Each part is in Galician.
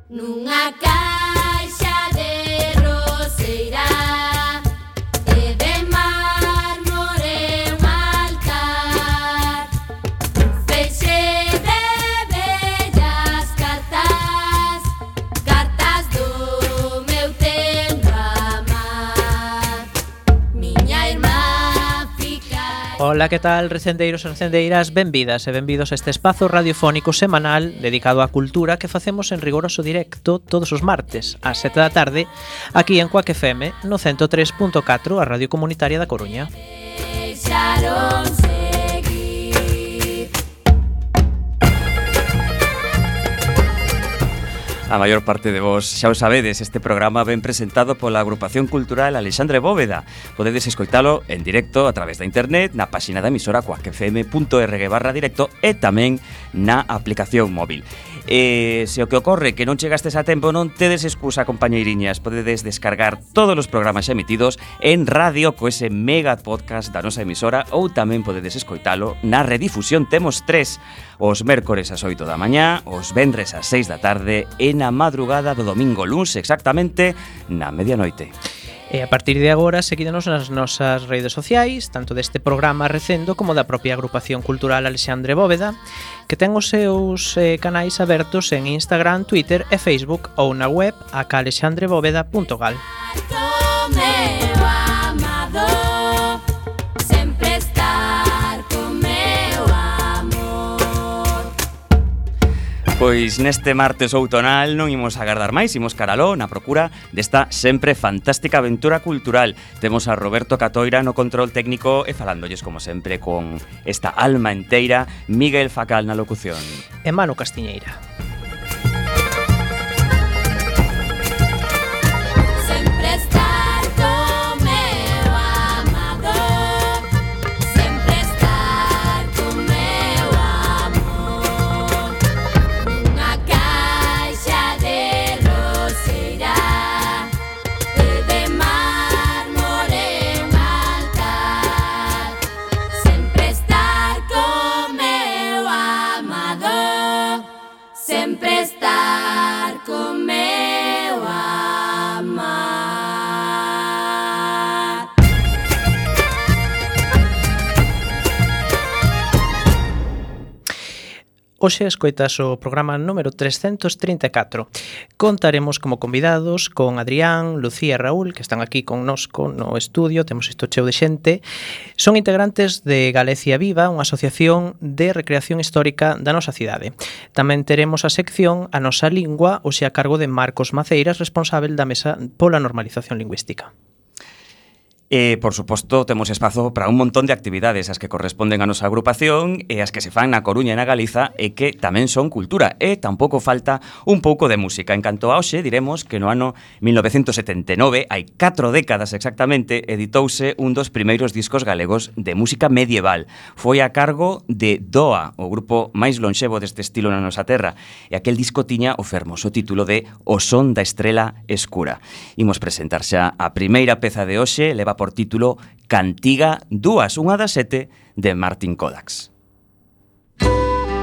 Nunha caixa de roseira e de mármore un altar, feixe de bellas cartas, cartas do meu tempo amar. Miña irmá fica... Ola, que tal, recendeiros e recendeiras? Benvidas e benvidos a este espazo radiofónico semanal dedicado á cultura que facemos en rigoroso directo todos os martes ás 7 da tarde aquí en Cuac FM no 103.4, a Radio Comunitaria da Coruña. Deixaron seguir. A maior parte de vos xa o sabedes, este programa ben presentado pola agrupación cultural Alexandre Bóveda. Podedes escoitalo en directo a través da internet, na páxina da emisora cuacfm.org/directo e tamén na aplicación móvil. Se o que ocorre que non chegastes a tempo, non tedes excusa, compañeiriñas. Podedes descargar todos os programas emitidos en radio co ese mega podcast da nosa emisora, ou tamén podedes escoitalo na redifusión. Temos 3, os mércores ás 8 da mañá, os vendres ás 6 da tarde e na madrugada do domingo luns, exactamente na medianoite. E a partir de agora, seguídenos nas nosas redes sociais, tanto deste programa recendo como da propia agrupación cultural Alexandre Bóveda, que ten os seus canais abertos en Instagram, Twitter e Facebook ou na web acalexandrebóveda.gal. Meu amado, sempre estar con meu amor. Pois neste martes outonal non imos agardar máis, imos caraló na procura desta sempre fantástica aventura cultural. Temos a Roberto Catoira no control técnico e falándolles como sempre con esta alma enteira, Miguel Facal na locución. E Manu Castiñeira. Sempre estar con meu amado, sempre estar con meu amor. Nunha caixa de roseira e de mármore un altar, sempre estar con meu amado, sempre estar con meu amar. Hoxe escoitas o programa número 334. Contaremos como convidados con Adrián, Lucía e Raúl, que están aquí connosco no estudio, temos isto cheo de xente. Son integrantes de Galicia Viva, unha asociación de recreación histórica da nosa cidade. Tamén teremos a sección A Nosa Lingua, hoxe a cargo de Marcos Maceiras, responsável da Mesa pola Normalización Lingüística. E, por suposto, temos espazo para un montón de actividades as que corresponden a nosa agrupación e as que se fan na Coruña e na Galiza e que tamén son cultura. E tampouco falta un pouco de música. En canto a hoxe, diremos que no ano 1979, hai 4 décadas exactamente, editouse un dos primeiros discos galegos de música medieval. Foi a cargo de Doa, o grupo máis lonxevo deste estilo na nosa terra. E aquel disco tiña o fermoso título de O son da estrela escura. Imos presentar xa a primeira peza de hoxe, leva por título Cantiga 2, unha das 7 de Martin Kodax. Conmigo,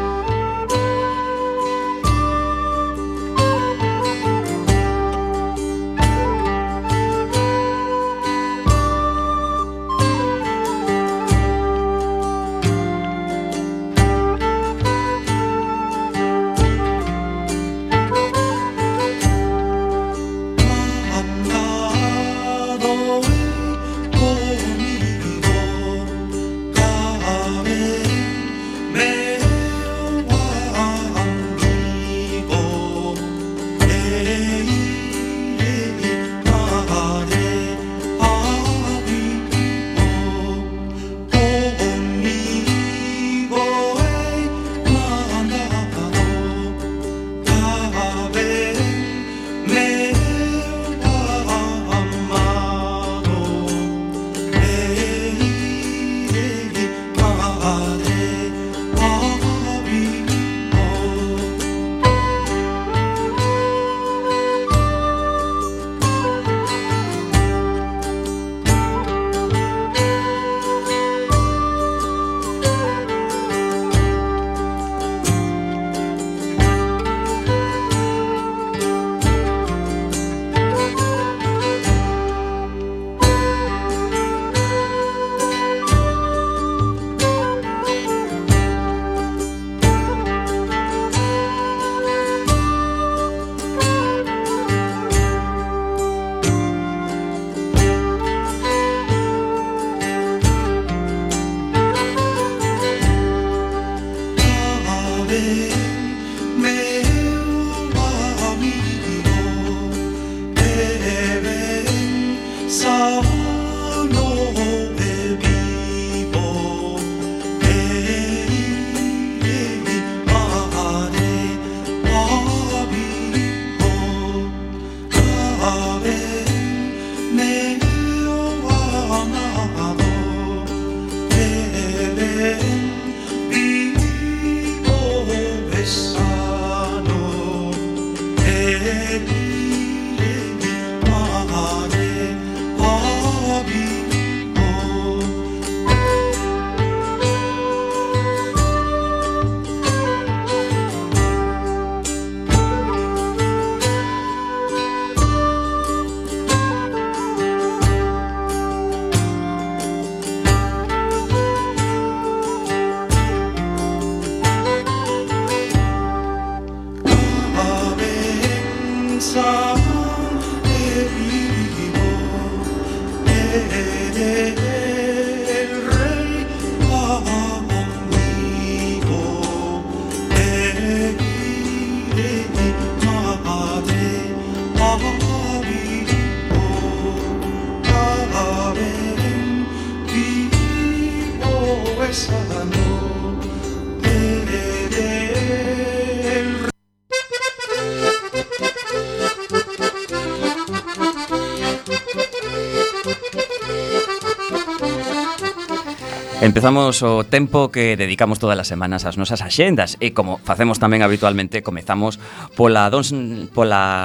Empezamos o tempo que dedicamos todas as semanas ás nosas axendas e como facemos tamén habitualmente comezamos pola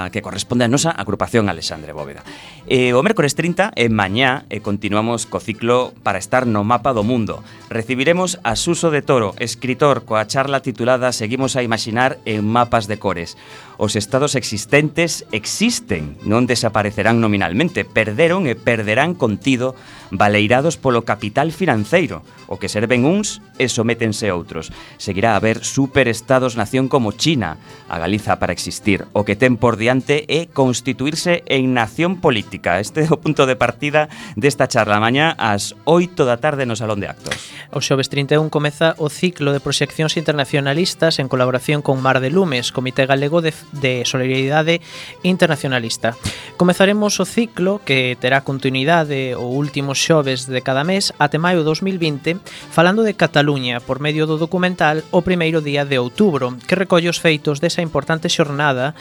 que corresponde a nosa agrupación Alexandre Bóveda. O mércores 30 en mañá continuamos co ciclo para estar no mapa do mundo. Recibiremos a Suso de Toro, escritor, coa charla titulada Seguimos a imaginar en mapas de cores. Os estados existentes existen, non desaparecerán nominalmente, perderon e perderán contido baleirados polo capital financeiro, o que serven uns e sométense outros. Seguirá a haber superestados-nación como China, a Galiza para existir. O que ten por diante é constituirse en nación política. Este é o punto de partida desta charla mañá ás 8 da tarde no Salón de Actos. O xoves 31 comeza o ciclo de proxeccións internacionalistas en colaboración con Mar de Lumes, Comité Galego de Solidaridade Internacionalista. Comezaremos o ciclo que terá continuidade o último xoves de cada mes até maio 2020 falando de Cataluña por medio do documental O primeiro día de outubro, que recolle os feitos desa importante xornada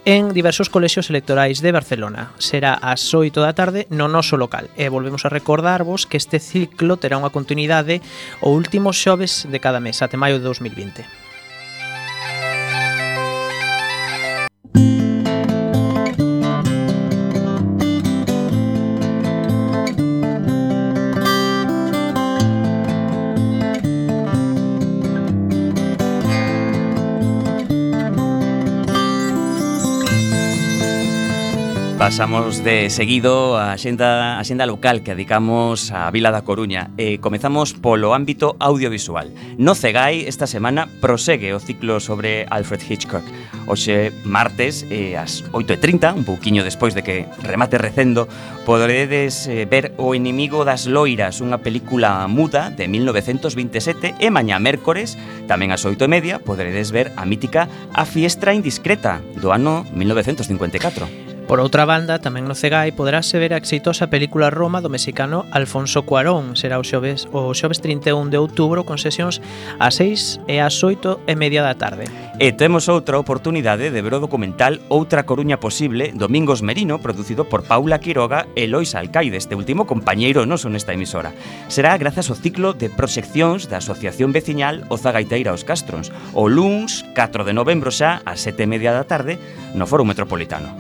en diversos colexios electorais de Barcelona. Será ás 8 da tarde no noso local. E volvemos a recordarvos que este ciclo terá unha continuidade o último xoves de cada mes até maio de 2020. Pasamos de seguido a axenda local que dedicamos á Vila da Coruña e comezamos polo ámbito audiovisual. No CEGAI esta semana prosegue o ciclo sobre Alfred Hitchcock. Hoxe martes ás 8:30, un pouquiño despois de que remate recendo, poderedes ver O inimigo das loiras, unha película muda de 1927 e mañá mércores, tamén ás 8:30, poderedes ver a mítica A fiestra indiscreta do ano 1954. Por outra banda, tamén no CEGAI poderase ver a exitosa película Roma do mexicano Alfonso Cuarón. Será o xoves 31 de outubro con sesións ás 6 e ás 8:30 da tarde. E temos outra oportunidade de ver o documental Outra Coruña Posible, Domingos Merino, producido por Paula Quiroga e Lois Alcaide, este último compañeiro noso nesta emisora. Será grazas ao ciclo de proxeccións da Asociación Veciñal Oza Gaiteira aos Castrons, o luns 4 de novembro xa ás 7:30 da tarde no Foro Metropolitano.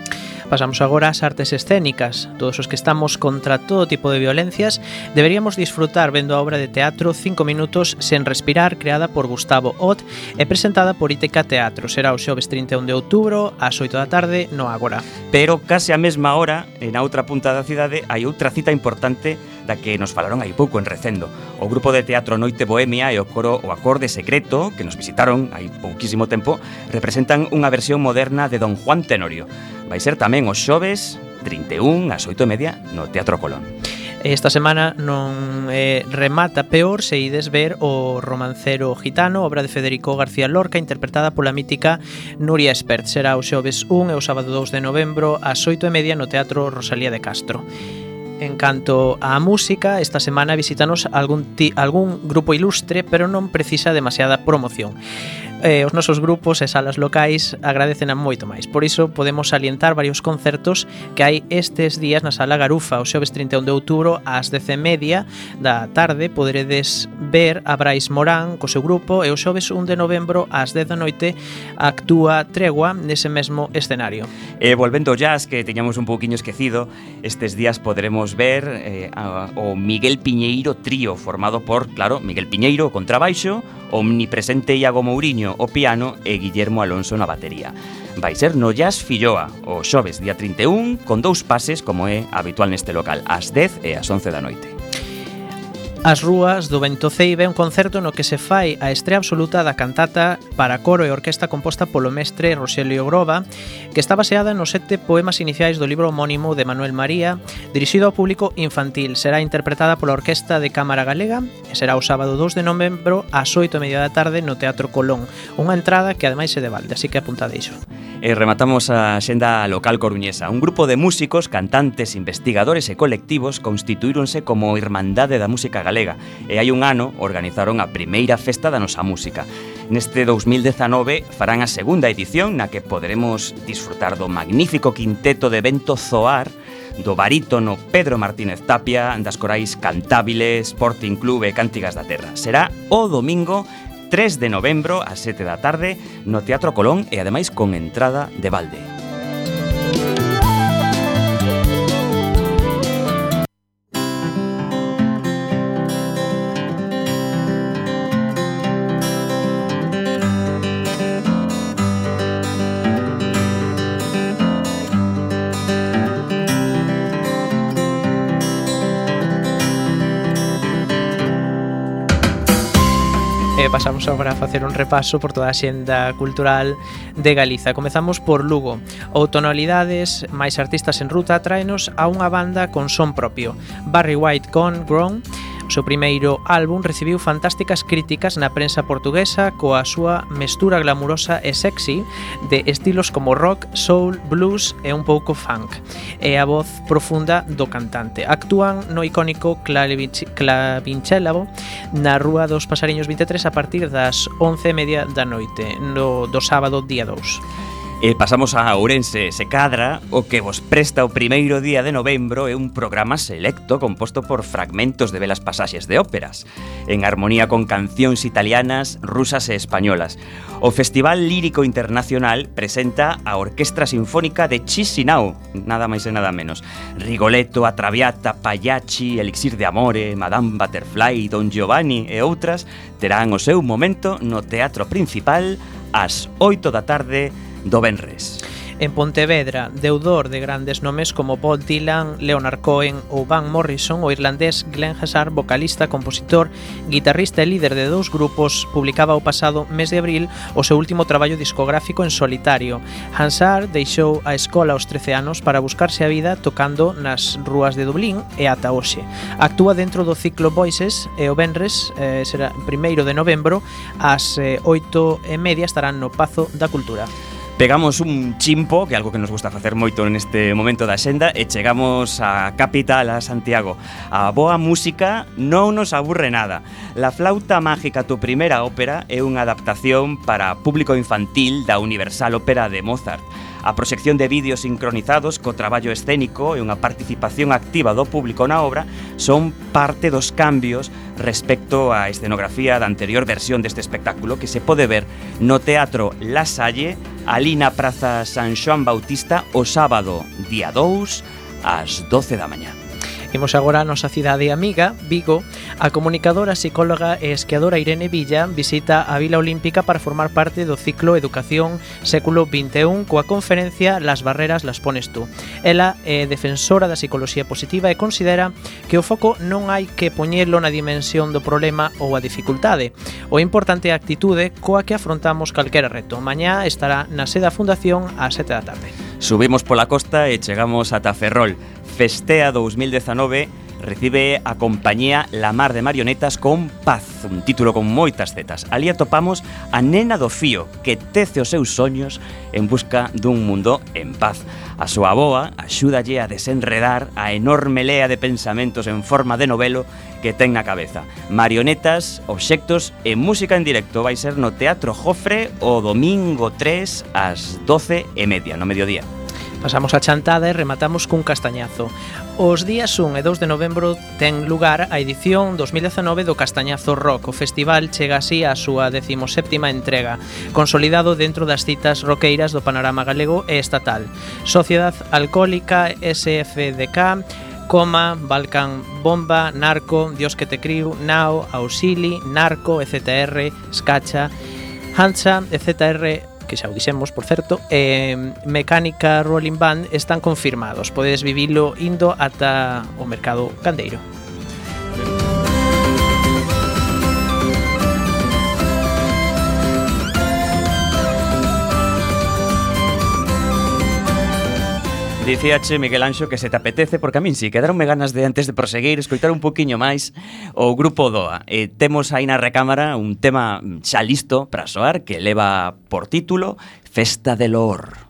Pasamos agora ás artes escénicas. Todos os que estamos contra todo tipo de violencias deberíamos disfrutar vendo a obra de teatro 5 minutos sen respirar, creada por Gustavo Ott e presentada por Íteca Teatro. Será o xoves 31 de outubro ás 8 da tarde no Ágora. Pero case a mesma hora, na outra punta da cidade, hai outra cita importante da que nos falaron hai pouco en Recendo. O grupo de teatro Noite Bohemia e o coro O Acorde Secreto, que nos visitaron hai pouquísimo tempo, representan unha versión moderna de Don Juan Tenorio. Vai ser tamén os xoves 31 ás 8:30 no Teatro Colón. Esta semana non remata peor se ides ver o Romancero Gitano, obra de Federico García Lorca, interpretada pola mítica Nuria Espert. Será o xoves 1 e o sábado 2 de novembro ás 8:30 no Teatro Rosalía de Castro. En canto á música, esta semana visítanos algún grupo ilustre, pero non precisa demasiada promoción. os nosos grupos e salas locais agradecen a moito máis. Por iso podemos salientar varios concertos que hai estes días na Sala Garufa. O xoves 31 de outubro ás 10:30 da tarde poderedes ver a Brais Morán co seu grupo, e o xoves 1 de novembro ás 10 da noite actúa Tregua nese mesmo escenario. E volvendo ao jazz, que teñamos un pouquiño esquecido, estes días poderemos ver o Miguel Piñeiro Trío, formado por, claro, Miguel Piñeiro, o contrabaixo, omnipresente Iago Mouriño, o piano, e Guillermo Alonso na batería. Vai ser no Jazz Filloa, o xoves día 31, con 2 pases, como é habitual neste local, ás 10 e ás 11 da noite. As Rúas do Vento Ceibe é un concerto no que se fai a estrea absoluta da cantata para coro e orquesta composta polo mestre Roxelio Groba, que está baseada nos 7 poemas iniciais do libro homónimo de Manuel María, dirixido ao público infantil. Será interpretada pola Orquesta de Cámara Galega e será o sábado 2 de novembro ás 8:30 da tarde no Teatro Colón. Unha entrada que ademais é de balde, así que apuntade iso. E rematamos a xenda local coruñesa. Un grupo de músicos, cantantes, investigadores e colectivos constituíronse como Irmandade da Música Galega, e hai un ano organizaron a primeira festa da nosa música. Neste 2019 farán a segunda edición, na que poderemos disfrutar do magnífico quinteto de Vento Zoar, do barítono Pedro Martínez Tapia, das corais Cantábiles, Sporting Club e Cántigas da Terra. Será o domingo 3 de novembro ás 7 da tarde no Teatro Colón, e ademais con entrada de balde. Pasamos agora a facer un repaso por toda a xenda cultural de Galiza. Comezamos por Lugo. Outonalidades máis artistas en ruta tráenos a unha banda con son propio. Barry White Gone Grown, o seu primeiro álbum, recibiu fantásticas críticas na prensa portuguesa coa súa mestura glamurosa e sexy de estilos como rock, soul, blues e un pouco funk, e a voz profunda do cantante. Actúan no icónico Clavinchelavo na Rúa dos Pasariños 23 a partir das 11:30 da noite do sábado día 2. E pasamos a Ourense. Se cadra, o que vos presta o primeiro día de novembro é un programa selecto composto por fragmentos de belas pasaxes de óperas, en armonía con cancións italianas, rusas e españolas. O Festival Lírico Internacional presenta a Orquestra Sinfónica de Chisinau, nada máis e nada menos. Rigoletto, A Traviata, Pagliacci, Elixir de Amore, Madame Butterfly, Don Giovanni e outras terán o seu momento no Teatro Principal ás 8 da tarde do venres. En Pontevedra, deudor de grandes nomes como Bob Dylan, Leonard Cohen ou Van Morrison, o irlandés Glenn Hansard, vocalista, compositor, guitarrista e líder de 2 grupos, publicaba o pasado mes de abril o seu último traballo discográfico en solitario. Hansard deixou a escola aos 13 anos para buscarse a vida tocando nas rúas de Dublín e ata hoxe. Actúa dentro do ciclo Voices e o venres, será 1 de novembro, ás 8:30 estarán no Pazo da Cultura. Pegamos un chimpo, que é algo que nos gusta facer moito neste momento da xenda, e chegamos á capital, a Santiago. A boa música non nos aburre nada. La Flauta Mágica, tu primeira ópera, é unha adaptación para público infantil da Universal Ópera de Mozart. A proxección de vídeos sincronizados co traballo escénico e unha participación activa do público na obra son parte dos cambios respecto á escenografía da anterior versión deste espectáculo, que se pode ver no Teatro La Salle, ali na Praza San Xoán Bautista, o sábado día 2 ás 12 da mañá. Imos agora a nosa cidade amiga, Vigo. A comunicadora, psicóloga e esquiadora Irene Villa visita a Vila Olímpica para formar parte do ciclo Educación Século XXI coa conferencia Las barreras las pones tú. Ela é defensora da psicoloxía positiva e considera que o foco non hai que poñelo na dimensión do problema ou a dificultade. O importante é a actitude coa que afrontamos calquera reto. Mañá estará na sede da Fundación ás 7 da tarde. Subimos pola costa e chegamos ata Ferrol. Festea 2019 recibe a compañía La Mar de Marionetas con Paz, un título con moitas zetas. Ali atopamos a nena do fío que tece os seus soños en busca dun mundo en paz. A súa avoa axúdalle a desenredar a enorme lea de pensamentos en forma de novelo que ten na cabeza. Marionetas, obxectos e música en directo vai ser no Teatro Jofre o domingo 3 ás 12:30 no mediodía. Pasamos a chantada e rematamos cun castañazo. Os días 1 e 2 de novembro ten lugar a edición 2019 do Castañazo Rock. O festival chega así á súa 17ª entrega, consolidado dentro das citas roqueiras do panorama galego e estatal. Sociedad Alcohólica, SFDK, Coma, Balkan Bomba, Narco, Dios que te criu, Nao, Auxili, Narco, EZR, Skacha, Hancha, EZR, que xa o dixemos, por certo, Mecánica Rolling Band están confirmados. Podedes vivilo indo ata o mercado gandeiro. Dicíache, Miguel Anxo, que se te apetece, porque a min sí, quedaronme ganas de, antes de proseguir, escoitar un poquinho máis o grupo DOA. Temos aí na recámara un tema xa listo para soar que leva por título Festa de Loor.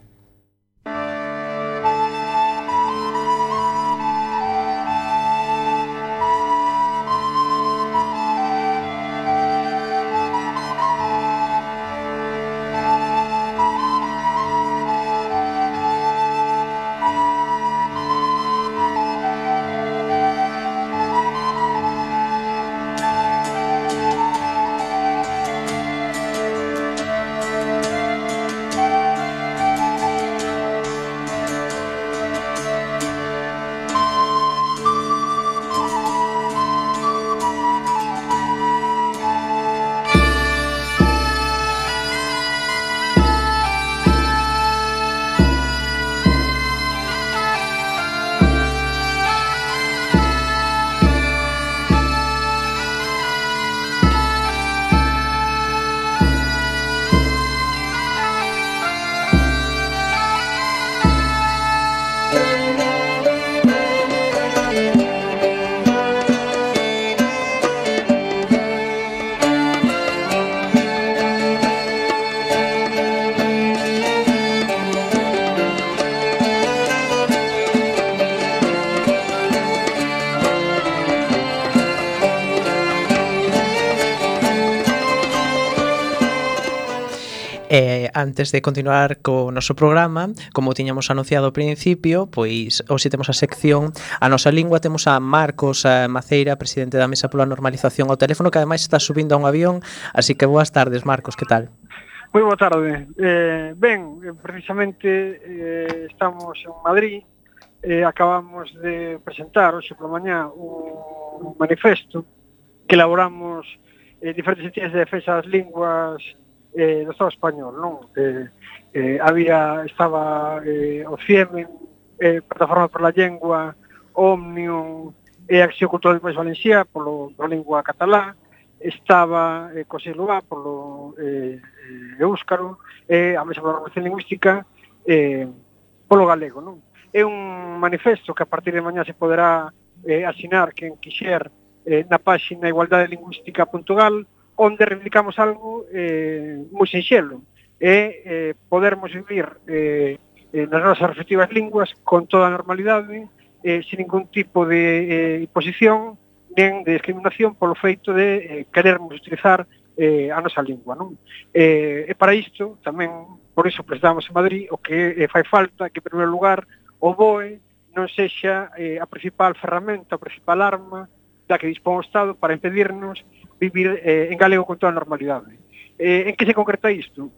Antes de continuar co noso programa, como tiñamos anunciado ao principio, pois hoxe temos a sección A Nosa Lingua. Temos a Marcos Maceira, presidente da Mesa pola Normalización ao teléfono, que ademais está subindo a un avión, así que boas tardes, Marcos, que tal? Moi boa tarde. Precisamente estamos en Madrid, acabamos de presentar hoxe pola mañá un manifesto que elaboramos diferentes entidades de defensa das linguas do Estado español, non? Estaba o CIEMEN, Plataforma por la Lengua, Omnium e Acción Cultural do País Valencià pola lingua catalá, estaba COSILUA polo éuscaro e a Mesa pola Normalización Lingüística polo galego, non? É un manifesto que a partir de mañá se poderá asinar quen quixer na páxina igualdade-lingüística.gal, onde reivindicamos algo moi sinxelo, podermos vivir nas nosas respectivas linguas con toda a normalidade, sin ningún tipo de imposición nen de discriminación polo feito de querermos utilizar a nosa lingua, non? E para isto, tamén, por iso presentamos en Madrid, o que fai falta que, en primeiro lugar, o BOE non sexa a principal ferramenta, a principal arma da que dispón o Estado para impedirnos vivir en galego con toda a normalidade. En que se concreta isto?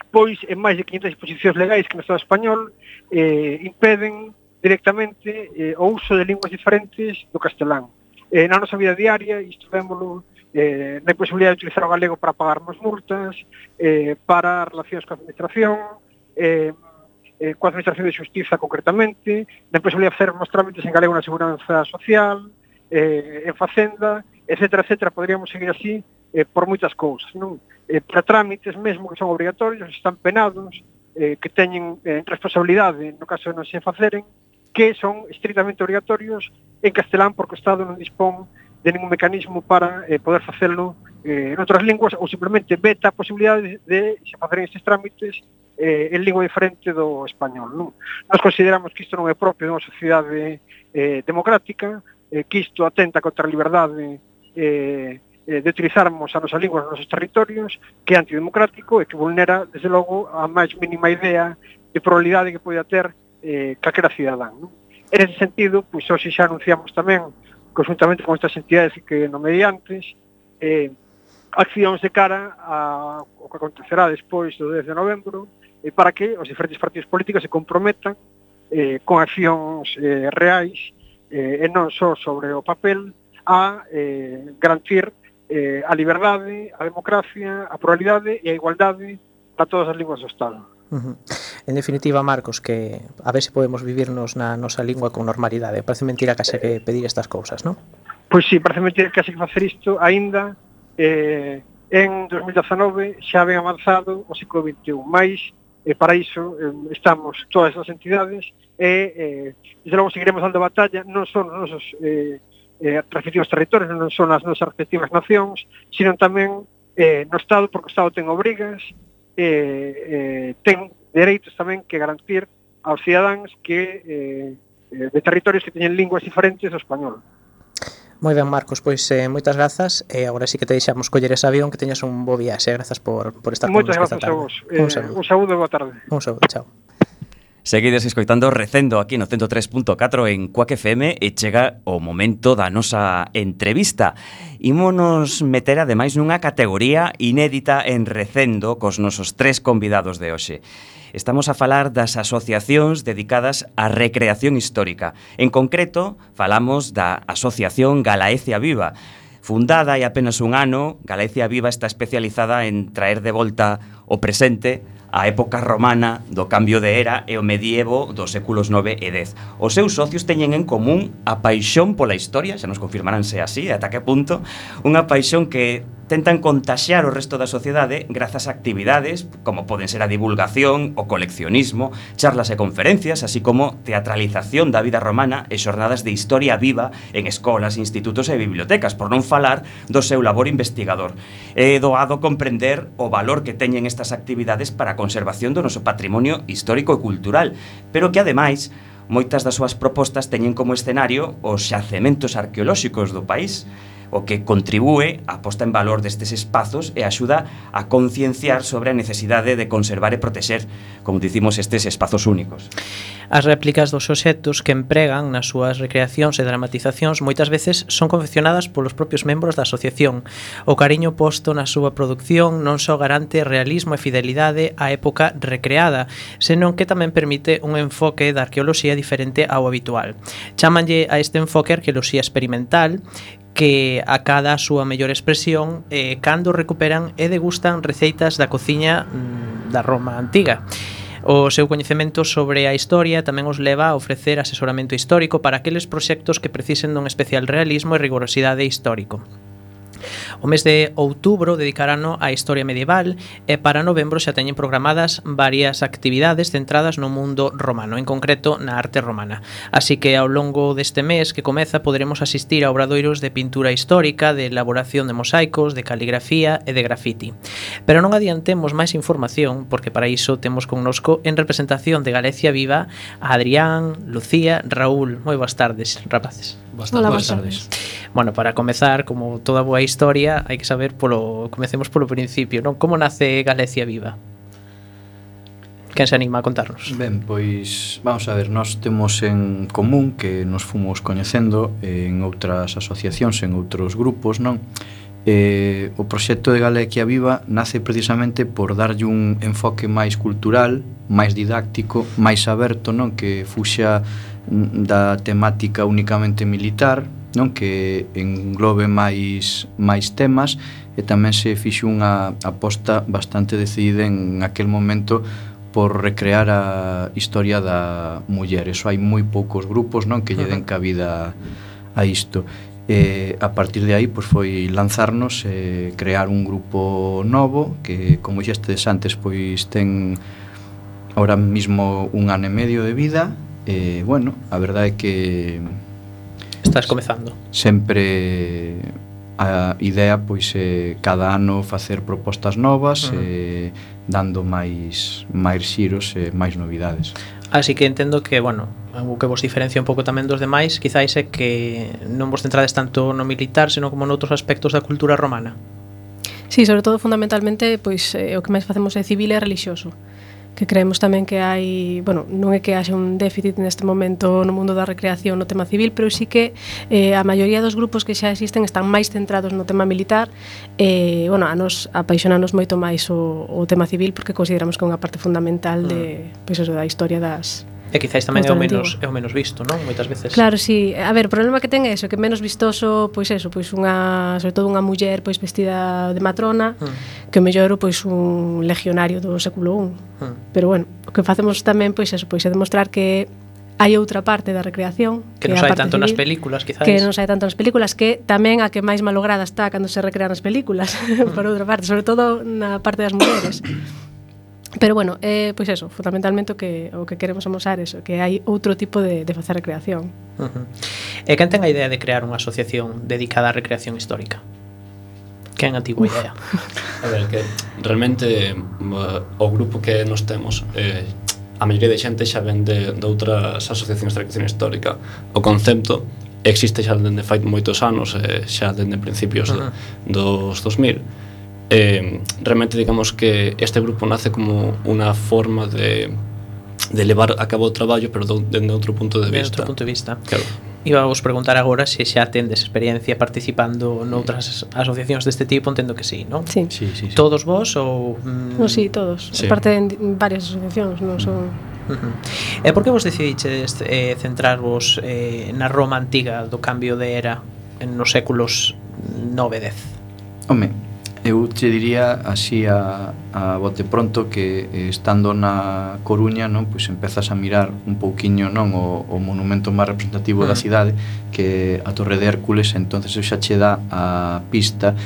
Pois en máis de 500 disposicións legais que no Estado español impeden directamente o uso de linguas diferentes do castelán. Na nosa vida diaria, isto vémolo na imposibilidade de utilizar o galego para pagarmos multas, para relacións coa administración, coa administración de xustiza concretamente, na imposibilidade de facer os trámites en galego na seguranza social, en facenda, etcétera, etcétera. Podríamos seguir así por moitas cousas, non? Para trámites mesmo que son obrigatorios, están penados, que teñen responsabilidade no caso de non se faceren, que son estrictamente obrigatorios en castelán porque o Estado non dispón de ningún mecanismo para poder facelo en outras linguas ou simplemente veta a posibilidade de se facer estes trámites en lingua diferente do español. Non? Nós consideramos que isto non é propio dunha sociedade democrática, que isto atenta contra a liberdade de utilizarmos a nosa lingua nos nosos territorios, que é antidemocrático e que vulnera, desde logo, a máis mínima idea de pluralidade que poida ter calquera cidadán. Non? En ese sentido, pois hoxe xa anunciamos tamén, conjuntamente con estas entidades que nomei antes, accións de cara ao que acontecerá despois do 10 de novembro, para que os diferentes partidos políticos se comprometan con accións reais e non só sobre o papel a garantir a liberdade, a democracia, a pluralidade e a igualdade para todas as linguas do Estado. En definitiva, Marcos, que a ver se podemos vivirnos na nosa lingua con normalidade. Parece mentira que que pedir estas cousas, non? Pois sí, parece mentira que que facer isto aínda en 2019 xa ben avanzado o século XXI, mais para iso estamos todas as entidades e desde logo seguiremos dando batalla non son os nosos respectivos territorios, non son as nosas respectivas nacións, sino tamén no Estado, porque o Estado ten obrigas, ten dereitos tamén que garantir aos cidadáns que de territorios que teñen linguas diferentes do español. Moi ben, Marcos, pois moitas grazas e agora sí que te deixamos coller ese avión, que teñas un bo viaxe. Grazas por estar con nos esta tarde. Moitas grazas a vos. Un saúdo e boa tarde. Un saúdo, chao. Seguides escoitando Recendo aquí no 103.4 en Cuac FM e chega o momento da nosa entrevista. Ímonos meter ademais nunha categoría inédita en Recendo cos nosos 3 convidados de hoxe. Estamos a falar das asociacións dedicadas á recreación histórica. En concreto, falamos da Asociación Galaecia Viva. Fundada hai apenas un ano, Galaecia Viva está especializada en traer de volta o presente a época romana do cambio de era e o medievo dos séculos 9 e 10. Os seus socios teñen en común a paixón pola historia, xa nos confirmarán se así, ata que punto, unha paixón que tentan contaxiar o resto da sociedade grazas a actividades como poden ser a divulgación, o coleccionismo, charlas e conferencias, así como teatralización da vida romana e xornadas de historia viva en escolas, institutos e bibliotecas, por non falar do seu labor investigador. É doado comprender o valor que teñen estas actividades para a conservación do noso patrimonio histórico e cultural, pero que ademais moitas das súas propostas teñen como escenario os xacementos arqueolóxicos do país, o que contribúe á posta en valor destes espazos e axuda a concienciar sobre a necesidade de conservar e protexer, como dicimos, estes espazos únicos. As réplicas dos obxectos que empregan nas súas recreacións e dramatizacións moitas veces son confeccionadas polos propios membros da asociación. O cariño posto na súa produción non só garante realismo e fidelidade á época recreada, senón que tamén permite un enfoque da arqueoloxía diferente ao habitual. Chámanlle a este enfoque arqueoloxía experimental, que acada a súa mellor expresión cando recuperan e degustan receitas da cociña da Roma antiga. O seu coñecemento sobre a historia tamén os leva a ofrecer asesoramento histórico para aqueles proxectos que precisen dun especial realismo e rigorosidade histórico. O mes de outubro dedicarano á historia medieval e para novembro xa teñen programadas varias actividades centradas no mundo romano, en concreto na arte romana. Así que ao longo deste mes que comeza poderemos asistir a obradoiros de pintura histórica, de elaboración de mosaicos, de caligrafía e de grafiti. Pero non adiantemos máis información, porque para iso temos connosco en representación de Galaecia Viva a Adrián, Lucía, Raúl. Moi boas tardes, rapaces. Hola, boas tardes. Bueno, para comezar, como toda boa historia, hai que saber comecemos polo principio, non? Como nace Galaecia Viva? Quen se anima a contarnos? Ben, pois vamos a ver, nós temos en común que nos fomos coñecendo en outras asociacións, en outros grupos, non? O proxecto de Galaecia Viva nace precisamente por darlle un enfoque máis cultural, máis didáctico, máis aberto, non? Que fuxa da temática únicamente militar, non? Que englobe máis temas e tamén se fixo unha aposta bastante decidida en aquel momento por recrear a historia da muller. Eso hai moi poucos grupos, non? Que lle den cabida a isto. A partir de aí pois foi lanzarnos e crear un grupo novo que, como xestes antes, pois ten ahora mismo un ano e medio de vida bueno, a verdade é que Estás comezando. sempre a idea pois é cada ano facer propostas novas, dando máis xiros e máis novidades. Así que entendo que, bueno, o que vos diferencia un pouco tamén dos demais quizáis é que non vos centrades tanto no militar, senón como noutros aspectos da cultura romana. Sí, sobre todo fundamentalmente pois o que máis facemos é civil e relixioso, que creemos tamén que hai, bueno, non é que haxe un déficit neste momento no mundo da recreación no tema civil, pero sí que a maioría dos grupos que xa existen están máis centrados no tema militar e, bueno, a nos apaixonanos moito máis o tema civil porque consideramos que é unha parte fundamental de, pois eso, da historia das... E quizáis tamén é o menos visto, non? Moitas veces. Claro, sí. A ver, o problema que ten é eso, que menos vistoso, pois eso, pois unha, sobre todo unha muller pois vestida de matrona, que o mellor pois un legionario do século I. Pero bueno, o que facemos tamén pois eso, pois é demostrar que hai outra parte da recreación que non sai tanto nas películas, quizáis. Que non sai tanto nas películas, que tamén a que máis malograda está cando se recrean as películas, por outra parte, sobre todo na parte das mulleres. Pero bueno, pois eso, fundamentalmente o que queremos amosar eso, que hai outro tipo de facer recreación. E quen ten a idea de crear unha asociación dedicada á recreación histórica? Quen a tivo a idea? A ver, que realmente o grupo que nos temos a maioría de xente xa ven de outras asociacións de recreación histórica. O concepto existe xa dende fai moitos anos, xa dende principios dos 2000. Realmente digamos que este grupo nace como unha forma de levar a cabo o traballo, pero dende outro punto de vista. Outro punto de vista. Claro. Iba a vos preguntar agora se xa tendes experiencia participando noutras asociacións deste tipo, entendo que sí, non? Sí. Sí. Todos vos ou... No, sí, todos. Sí. Parte en varias asociacións, non son... E por que vos decidiches centrarvos na Roma antiga do cambio de era nos séculos 9 e 10? Home, eu te diría así a bote pronto que estando na Coruña, non, pois empezas a mirar un pouquiño, non, o monumento máis representativo da cidade, que a Torre de Hércules, entonces xa che dá a pista.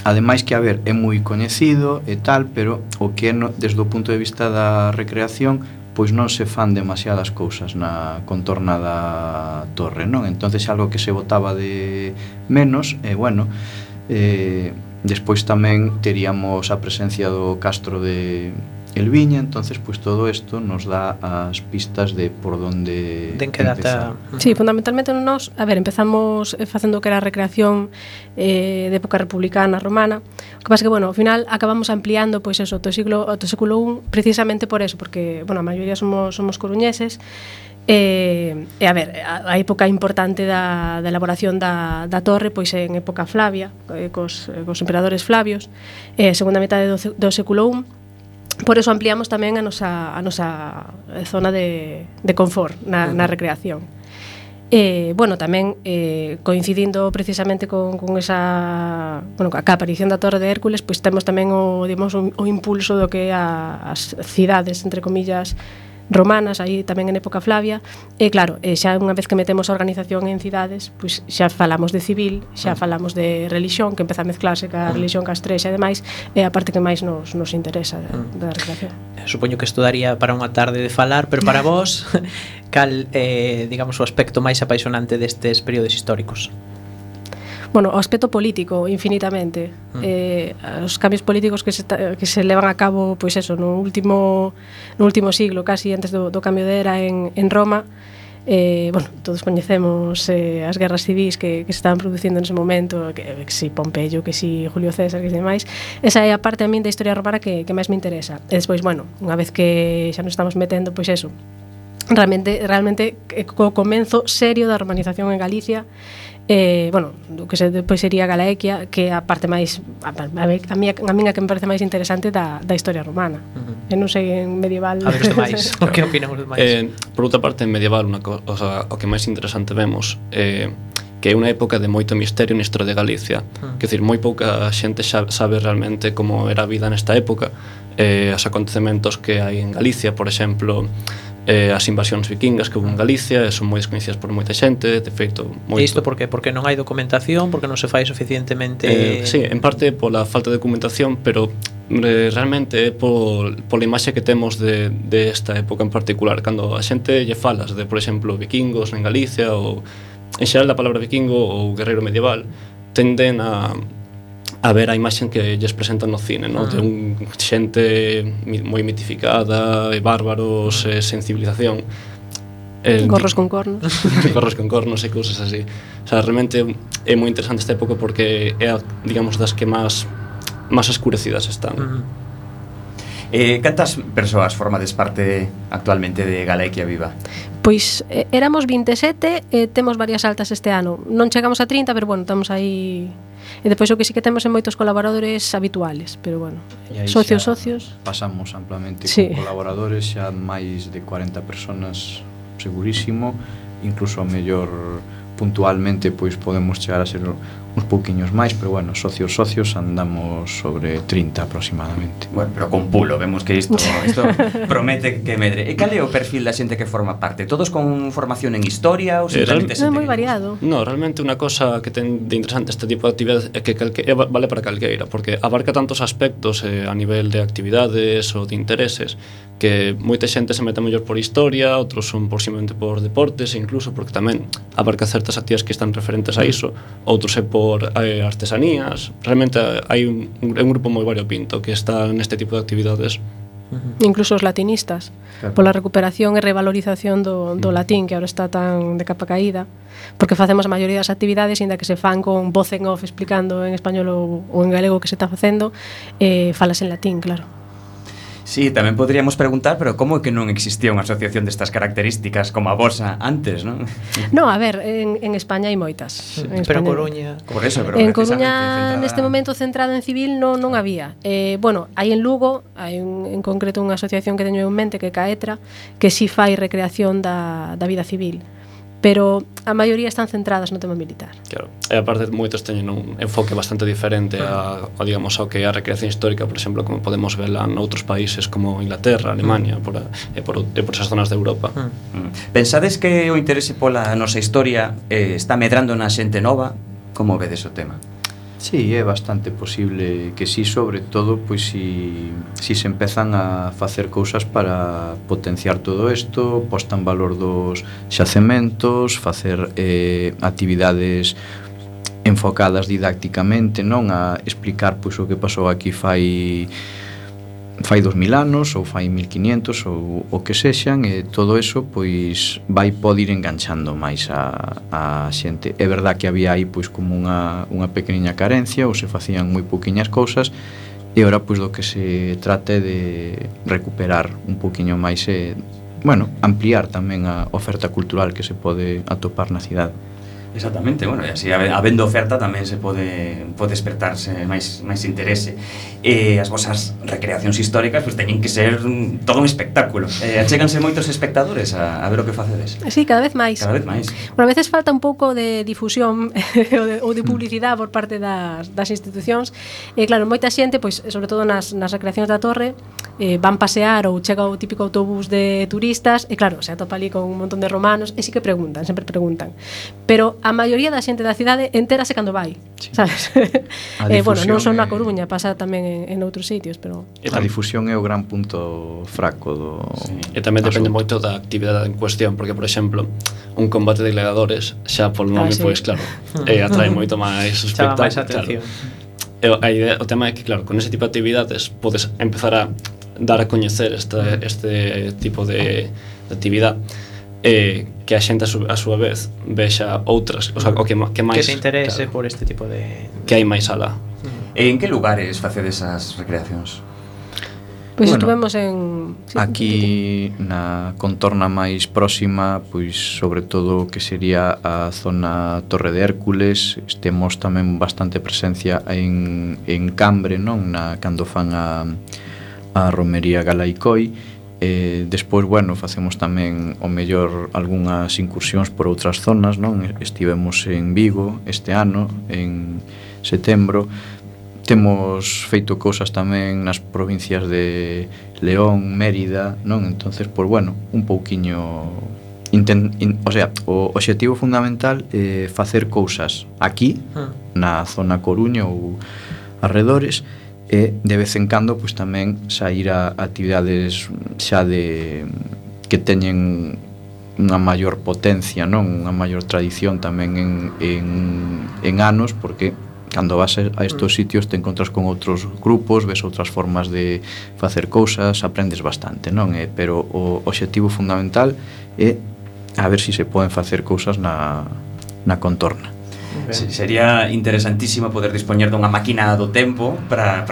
Ademais que, a ver, é moi coñecido e tal, pero o que é desde o punto de vista da recreación, pois non se fan demasiadas cousas na contorna da torre, non? Entonces algo que se botaba de menos, e bueno, despois tamén teríamos a presencia do castro de Elviña, entonces pois todo isto nos dá as pistas de por onde de en que data. Sí, fundamentalmente nós, a ver, empezamos facendo o que era a recreación de época republicana romana. O que pasa que, bueno, ao final acabamos ampliando pois eso, do século I, precisamente por eso, porque, bueno, a maioría somos coruñeses. E a ver, a época importante da elaboración da torre pois en época Flavia, cos emperadores Flavios, segunda metade do século I. Por eso ampliamos tamén a nosa zona de confort na recreación. Bueno, tamén coincidindo precisamente con esa, bueno, a aparición da Torre de Hércules, pois temos tamén o impulso do que é as cidades, entre comillas, romanas, aí tamén en época Flavia. E claro, xa unha vez que metemos a organización en cidades, pois xa falamos de civil, xa falamos de religión, que empeza a mezclarse ca religión castrexa e demais, é a parte que máis nos interesa da recreación. Supoño que isto daría para unha tarde de falar, pero para vos, cal digamos o aspecto máis apaixonante destes períodos históricos? Bueno, o aspecto político, infinitamente. Os cambios políticos que se levan a cabo, pois eso, no último siglo, casi antes do cambio de era en Roma. Bueno, todos coñecemos as guerras civis que se estaban producindo nese momento, que si Pompeyo, que si Julio César, que si demais. Esa é a parte a min da historia romana que máis me interesa. E despois, bueno, unha vez que xa nos estamos metendo, pois eso, realmente co comenzo serio da romanización en Galicia, bueno, o que depois sería Galaequia, que é a parte máis a miña que me parece máis interesante da historia romana. Non sei en medieval. A ver os demais, o que opinamos os demais? Por outra parte, en medieval, o que máis interesante vemos que é unha época de moito misterio na historia de Galicia. Quer dizer, moi pouca xente sabe realmente como era a vida nesta época, os acontecementos que hai en Galicia, por exemplo, as invasións vikingas que houve en Galicia, son moi descoñecidas por moita xente, de feito moito. E isto por qué? Porque non hai documentación, porque non se fai suficientemente... Sí, en parte pola falta de documentación, pero realmente é pola imaxe que temos de esta época en particular. Cando a xente lle falas de, por exemplo, vikingos en Galicia ou en xeral da palabra vikingo ou guerreiro medieval, tenden a ver a imaxe que lles presentan no cine, no? De un xente moi mitificada, bárbaros, sen civilización. Gorros con cornos. Gorros con cornos e cousas así. O sea, realmente é moi interesante esta época porque é, digamos, das que máis escurecidas están. Cantas persoas formades parte actualmente de Galequia Viva? Pois éramos 27 e temos varias altas este ano. Non chegamos a 30, pero bueno, estamos aí. E depois o que sí que temos é moitos colaboradores habituales, pero bueno, socios. Pasamos amplamente sí. Con colaboradores, xa máis de 40 personas segurísimo, incluso a mellor puntualmente pois podemos chegar a ser uns pouquiños máis, pero bueno, socios andamos sobre 30 aproximadamente. Bueno, pero con pulo, vemos que isto promete que medre. E cal é o perfil da xente que forma parte? Todos con formación en historia ou simplemente xente? É moi variado. No, realmente unha cosa que ten de interesante este tipo de actividade é que vale para calqueira, porque abarca tantos aspectos a nivel de actividades ou de intereses que moita xente se mete mellor por historia, outros son posiblemente por deportes, e incluso porque tamén abarca certas actividades que están referentes a iso, outros é por artesanías. Realmente hai un grupo moi variopinto que está neste tipo de actividades. Incluso os latinistas, claro. Pola recuperación e revalorización do latín, que agora está tan de capa caída, porque facemos a maioría das actividades, ainda que se fan con voz en off explicando en español ou en galego o que se está facendo, falas en latín, claro. Sí, tamén podríamos preguntar, pero como é que non existía unha asociación destas características como a vosa antes, non? No, a ver, en España hai moitas. Pero Coruña... Por eso, pero en Coruña, neste momento centrado en civil, non había. Bueno, hai en Lugo, hai en concreto unha asociación que teño en mente, que é Caetra, que si fai recreación da vida civil. Pero a maioría están centradas no tema militar. Claro, e aparte moitos teñen un enfoque bastante diferente a digamos, ao que é a recreación histórica, por exemplo, como podemos verla noutros países como Inglaterra, Alemania, por esas zonas de Europa. Pensades que o interese pola nosa historia está medrando na xente nova? Como vedes o tema? Sí, é bastante posible que sí, sobre todo pois si se empezan a facer cousas para potenciar todo isto, posta en valor dos xacementos, facer actividades enfocadas didácticamente, non a explicar pois o que pasou aquí fai 2000 anos ou fai 1500 ou o que sexan, e todo eso pois vai poder ir enganchando máis a xente. É verdad que había aí pois como unha pequeniña carencia, ou se facían moi pouquiñas cousas, e ora pois do que se trate de recuperar un pouquiño máis e, bueno, ampliar tamén a oferta cultural que se pode atopar na cidade. Exactamente, bueno, e así habendo oferta tamén se pode despertarse máis interese. E as vosas recreacións históricas pois teñen que ser todo un espectáculo. Achéganse moitos espectadores a ver o que facedes. Sí, cada vez máis. Cada vez máis. Bueno, a veces falta un pouco de difusión ou de publicidade por parte das institucións. Claro, moita xente, pois, sobre todo nas recreacións da Torre, van pasear ou chega o típico autobús de turistas e claro, se atopa ali con un montón de romanos e sí que preguntan, sempre preguntan. Pero a maioría da xente da cidade entérase cando vai, sí. Sabes? Bueno, non só na Coruña, pasa tamén en outros sitios, pero a difusión é o gran punto fraco do... Sí. E tamén depende moito da actividade en cuestión, porque, por exemplo, un combate de gladiadores xa polo nome, sí. Pois claro, atrae moito máis espectáculo, máis atención. Claro. A idea, o tema é que, claro, con ese tipo de actividades podes empezar a dar a coñecer este tipo de actividade, que a xente a súa vez vexa outras, o sea, o que máis que se interese, claro, por este tipo de que hai máis alá. En que lugares facedes as recreacións? Pois estuvemos en... Sí, aquí na contorna máis próxima, pois sobre todo que sería a zona Torre de Hércules, temos tamén bastante presencia en Cambre, non? Cando fan a romería Galaicoi. Despois, bueno, facemos tamén o mellor algunhas incursións por outras zonas, non? Estivemos en Vigo este ano, en setembro. Temos feito cousas tamén nas provincias de León, Mérida, non? Entonces, pois, bueno, un pouquiño... o sea, o obxectivo fundamental é facer cousas aquí, na zona Coruña ou arredores, e de vez en cando pois tamén sair a actividades xa de que teñen unha maior potencia, non? Unha maior tradición tamén en anos, porque cando vas a estos sitios te encontras con outros grupos, ves outras formas de facer cousas, aprendes bastante, non? Pero o obxectivo fundamental é a ver se se poden facer cousas na contorna. Sería interesantísimo poder dispoñer dunha máquina do tempo para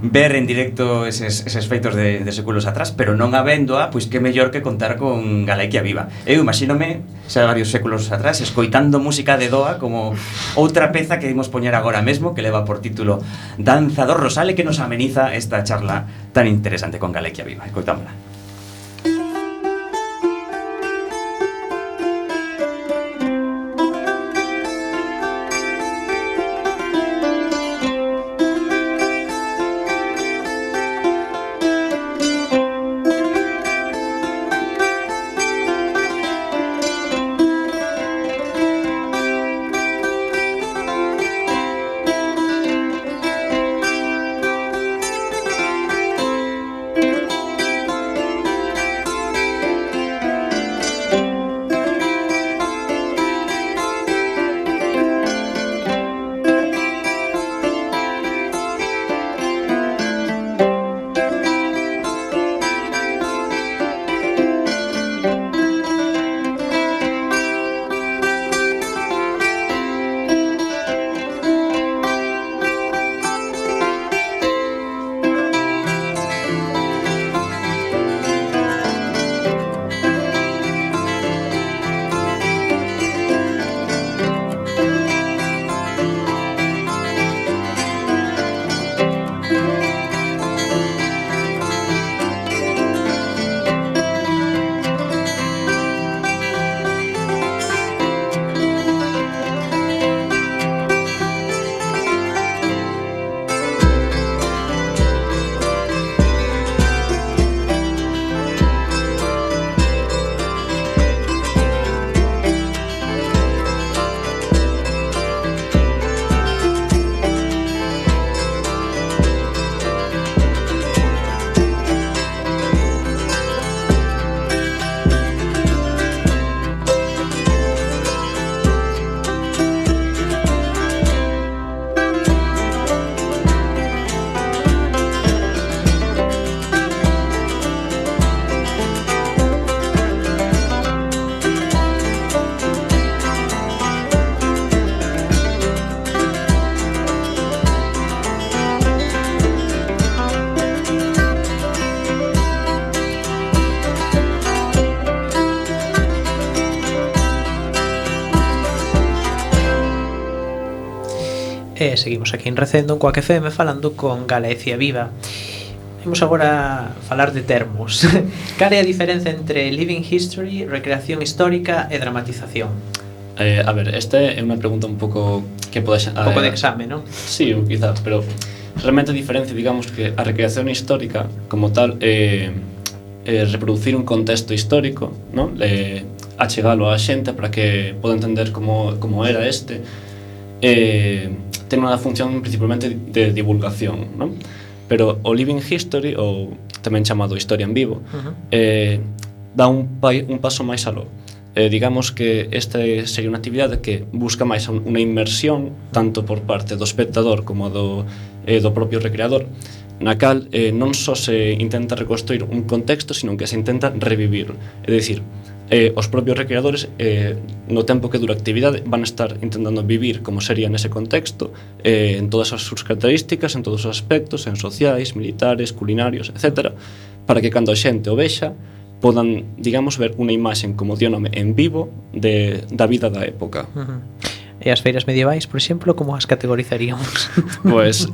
ver en directo eses feitos de séculos atrás, pero non habéndoa, pois que mellor que contar con Galequia Viva. Eu imagínome xa varios séculos atrás escoitando música de Doa como outra peza que imos poñer agora mesmo, que leva por título Danza do Rosal, e que nos ameniza esta charla tan interesante con Galequia Viva. Escoitámola. E seguimos aquí en Recendo, en Coac FM, falando con Galecia Viva. Vamos agora a falar de termos. Cal é a diferenza entre living history, recreación histórica e dramatización? A ver, esta é unha pregunta un pouco que pode Un pouco de exame, non? Sí, quizás, pero realmente a diferencia, digamos, que a recreación histórica como tal reproducir un contexto histórico, non? Achegalo á xente para que poda entender como era este. Ten unha función principalmente de divulgación, non? Pero o living history, ou tamén chamado historia en vivo, dá un paso máis aló. Digamos que esta sería unha actividade que busca máis unha inmersión tanto por parte do espectador como do propio recreador, na cal non só se intenta reconstruir un contexto, sino que se intenta revivir. É dicir, os propios recreadores no tempo que dura a actividade van a estar intentando vivir como sería nese contexto, en todas as súas características, en todos os aspectos, en sociais, militares, culinarios, etc., para que cando a xente o vexa podan, digamos, ver unha imaxen, como dio nome, en vivo da vida da época. E as feiras medievais, por exemplo, como as categorizaríamos? Pois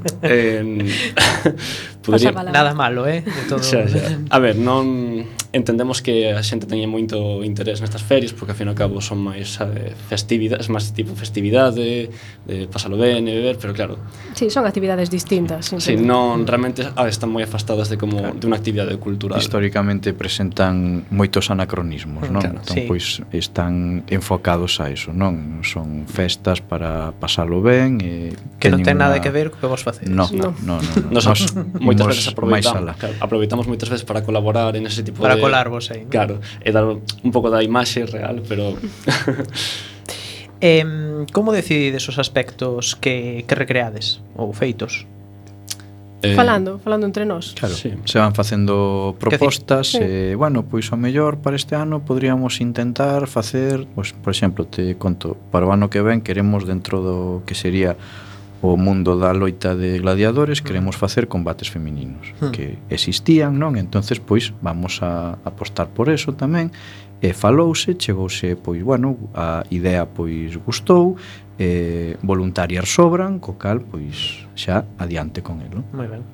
podría... Nada malo, de todo. Xa. A ver, non entendemos que a xente teña moito interés nestas ferias porque ao fin e ao cabo son máis festividades, máis tipo festividade, de pasalo ben e beber, pero claro. Sí, son actividades distintas. Sí, non realmente están moi afastadas de como de unha actividade cultural. Históricamente presentan moitos anacronismos, non? Claro, Entón, sí. pois están enfocados a eso, non? Son festas para pasalo ben e Que non ten teñen nada unha- que ver co que vos facedes. No, No. no. Nos moitas imos veces máis aproveitamos, alá. claro, aproveitamos moitas veces para colaborar en ese tipo Para de colarvos aí, non? Claro, e dar un pouco da imaxe real, pero Como decidides os aspectos que recreades ou feitos? Falando entre nós. Claro, Sí. se van facendo propostas Sí. bueno, pois ao mellor para este ano podríamos intentar facer, pois, por exemplo, te conto, para o ano que ven queremos dentro do que sería o mundo da loita de gladiadores, queremos facer combates femininos que existían, non? Entonces, pois, vamos a apostar por eso tamén. E falouse, chegouse, pois, bueno, a idea, pois, gustou, voluntarias sobran, co cal, pois, xa adiante con elo. Moi ben.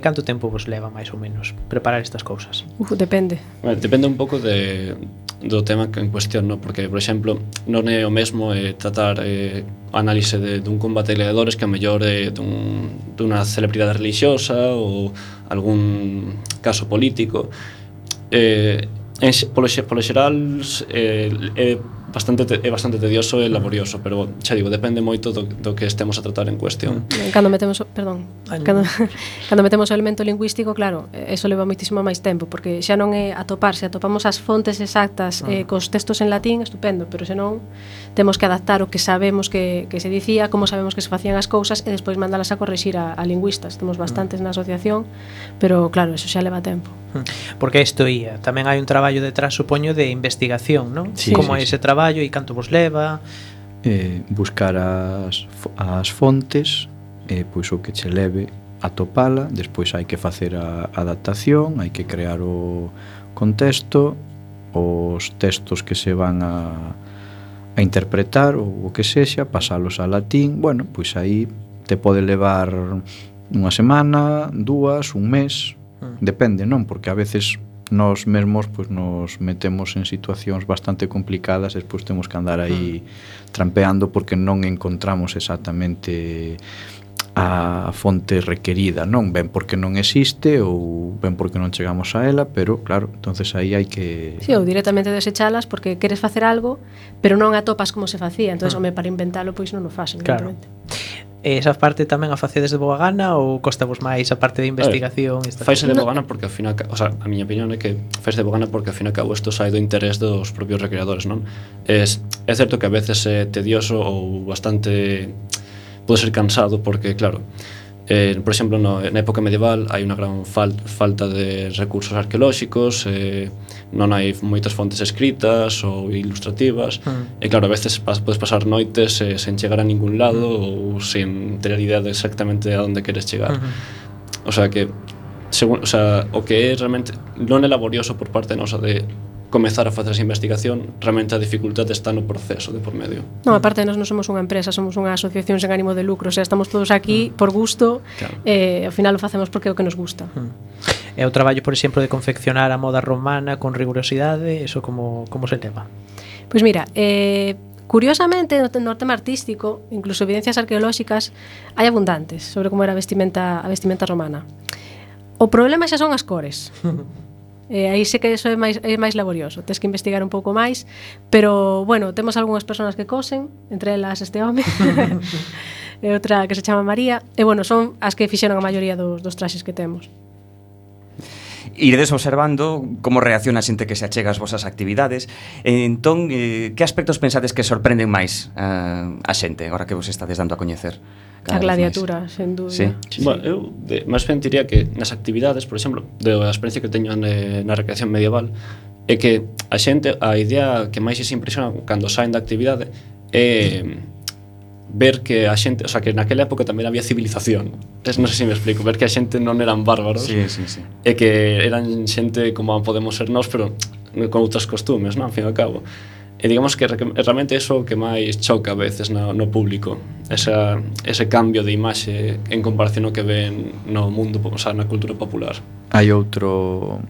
Canto tempo vos leva máis ou menos preparar estas cousas? Depende. depende un pouco do tema que en cuestión, no? Porque, por exemplo, non é o mesmo tratar análise dun combate de gladiadores que a mellor dunha celebridade religiosa ou algún caso político. Polo xeral é bastante tedioso e laborioso, pero xa digo, depende moito do que estemos a tratar en cuestión. Cando metemos, cando metemos o elemento lingüístico, claro, eso leva moitísimo máis tempo, porque xa non é atopar, se atopamos as fontes exactas cos textos en latín, estupendo, pero senón temos que adaptar o que sabemos que se dicía, como sabemos que se facían as cousas e despois mandalas a corrixir a lingüistas. Temos bastantes na asociación, pero claro, eso xa leva tempo. Porque isto ia, tamén hai un traballo detrás, supoño, de investigación, non? Sí, Como é sí, ese traballo e canto vos leva? Buscar as fontes, pois o que che leve a topala, despois hai que facer a adaptación, hai que crear o contexto, os textos que se van a interpretar ou o que sexa, pasalos a latín. Bueno, pois aí te pode levar unha semana, dúas, un mes, depende, non? Porque a veces nós mesmos pois nos metemos en situacións bastante complicadas e despois temos que andar aí trampeando porque non encontramos exactamente a fonte requerida, non? Ben porque non existe ou ben porque non chegamos a ela, pero claro, entonces aí hai que... Sí, ou directamente desechalas porque queres facer algo, pero non atopas como se facía, entonces home, para inventalo pois non o fasen, Claro. evidentemente. Esa parte tamén a facedes de boa gana ou costa vos máis a parte de investigación? Faise de boa gana porque ao final, o sea, a miña opinión é que faise de boa gana porque ao fin e ao cabo isto sai do interés dos propios recreadores, non? É certo que a veces é tedioso ou bastante pode ser cansado porque, claro, por exemplo, na época medieval hai unha gran falta de recursos arqueolóxicos, non hai moitas fontes escritas ou ilustrativas, e claro, a veces podes pasar noites sen chegar a ningún lado ou sen ter idea de exactamente a onde queres chegar. O sea que o que é realmente non é laborioso por parte nosa de comezar a facer esa investigación, realmente a dificultade está no proceso de por medio. Non, aparte nós non somos unha empresa, somos unha asociación sen ánimo de lucro, o sea, estamos todos aquí por gusto, Claro. Ao final o facemos porque é o que nos gusta. E o traballo, por exemplo, de confeccionar a moda romana con rigurosidade, eso como se leva? Pois mira, curiosamente no tema artístico, incluso evidencias arqueolóxicas hai abundantes sobre como era a vestimenta romana. O problema xa son as cores. Aí sei que eso é máis laborioso, tens que investigar un pouco máis, pero bueno, temos algunhas persoas que cosen, entre elas este home e outra que se chama María, e bueno, son as que fixeron a maioría dos traxes que temos. Iredes observando como reacciona a xente que se achega ás vosas actividades. Entón, que aspectos pensades que sorprenden máis a xente agora que vos estades dando a coñecer? A gladiatura, sen dúbida. Sí. Bueno, eu máis ben diría que nas actividades, por exemplo, da experiencia que teño na recreación medieval, é que a xente, a idea que máis se impresiona cando saen da actividade é ver que a xente, o sea, que naquela época tamén había civilización. Non sei se me explico, ver que a xente non eran bárbaros. Sí. E que eran xente como podemos ser nós, pero con outros costumes, non? Ao fin e ao cabo. E digamos que realmente eso que máis choca a veces no público, ese cambio de imaxe en comparación ao que ven no mundo, o sea, na cultura popular. Hai outro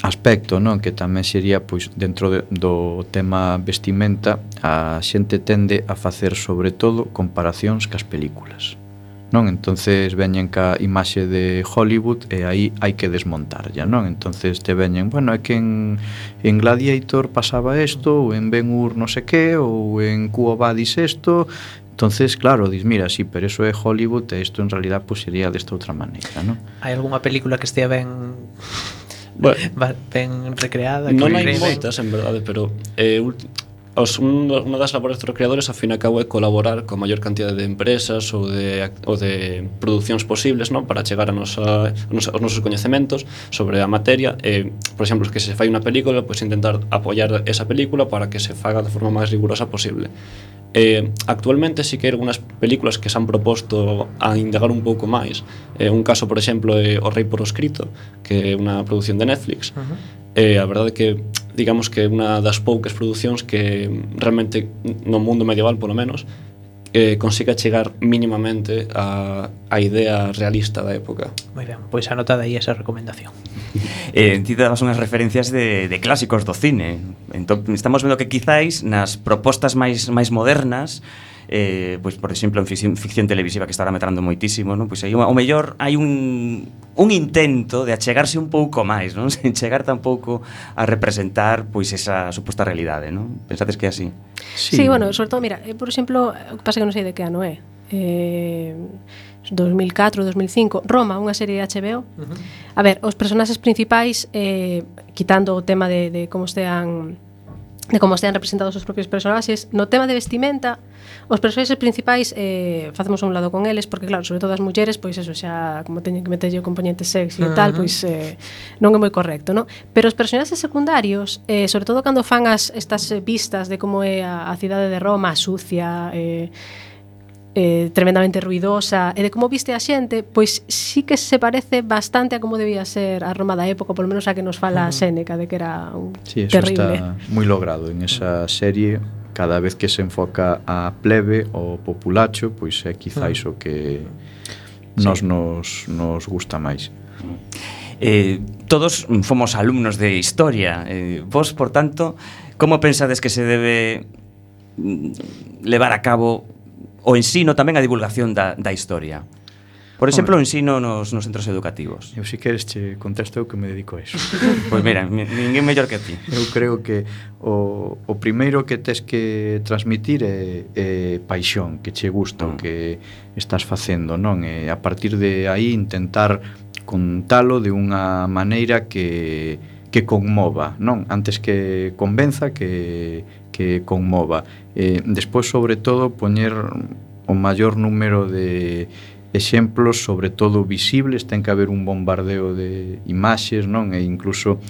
aspecto, non, que tamén sería pois dentro do tema vestimenta, a xente tende a facer sobre todo comparacións cas películas, non? Entonces veñen ca imaxe de Hollywood e aí hai que desmontar ya, non? Entonces te veñen, bueno, é que en Gladiator pasaba isto, ou en Ben-Hur non sei que, ou en Quo Vadis isto. Entonces, claro, dis, mira, sí, pero eso é Hollywood e isto en realidad pues sería desta outra maneira, non? Hai algunha película que estea ben ben recreada? Non hai moitas, en verdade, pero unha das labores dos creadores, ao fin e ao cabo, é colaborar coa maior cantidad de empresas ou de producións posibles, non, para chegar aos nosos coñecementos sobre a materia. Por exemplo, que se fai unha película, pois intentar apoiar esa película para que se faga de forma máis rigurosa posible. Actualmente sí que hai algunhas películas que se han proposto a indagar un pouco máis. Un caso, por exemplo, é O Rei por escrito, que é unha produción de Netflix. A verdade é que digamos que é unha das poucas producións que realmente no mundo medieval, polo menos, consiga chegar mínimamente a idea realista da época. Moi ben, pois anotada aí esa recomendación. Ti dabas unhas referencias de clásicos do cine. Entón, estamos vendo que quizáis nas propostas máis modernas, pois por exemplo en ficción televisiva, que está ahora metrando moitísimo, non? Pois aí o mellor hai un intento de achegarse un pouco máis, non? Sen chegar tampouco a representar pois esa suposta realidade, non? Pensades que é así? Sí, bueno, sobre todo, mira, por exemplo, o que pasa que non sei de que ano é, 2004, 2005, Roma, unha serie de HBO. A ver, os personaxes principais, quitando o tema de como estean representados os propios personaxes, no tema de vestimenta, os personaxes principais facemos un lado con eles, porque claro, sobre todo as mulleres, pois eso xa, como teñen que meterlle o componente sexy e tal, pois non é moi correcto, non? Pero os personaxes secundarios, sobre todo cando fan estas vistas de como é a cidade de Roma, sucia, tremendamente ruidosa, e de como viste a xente, pois sí que se parece bastante a como debía ser a Roma da época, polo menos a que nos fala Séneca, de que era terrible. Eso está moi logrado en esa serie. Cada vez que se enfoca a plebe ou populacho, pois é quizáis o que nos gusta máis. Todos fomos alumnos de historia. Vos, por tanto, como pensades que se debe levar a cabo o ensino, tamén a divulgación da historia? Por exemplo, o ensino nos centros educativos. Eu, se queres, che contesto eu que me dedico a eso. Pois mira, ninguén mellor que ti. Eu creo que o primeiro que tes que transmitir é paixón, que che gusta o que estás facendo, non? E a partir de aí intentar contalo de unha maneira que conmova, non? Antes que convenza, que conmova. Despois, sobre todo, poñer o maior número de exemplos, sobre todo visibles. Ten que haber un bombardeo de imaxes, non? E incluso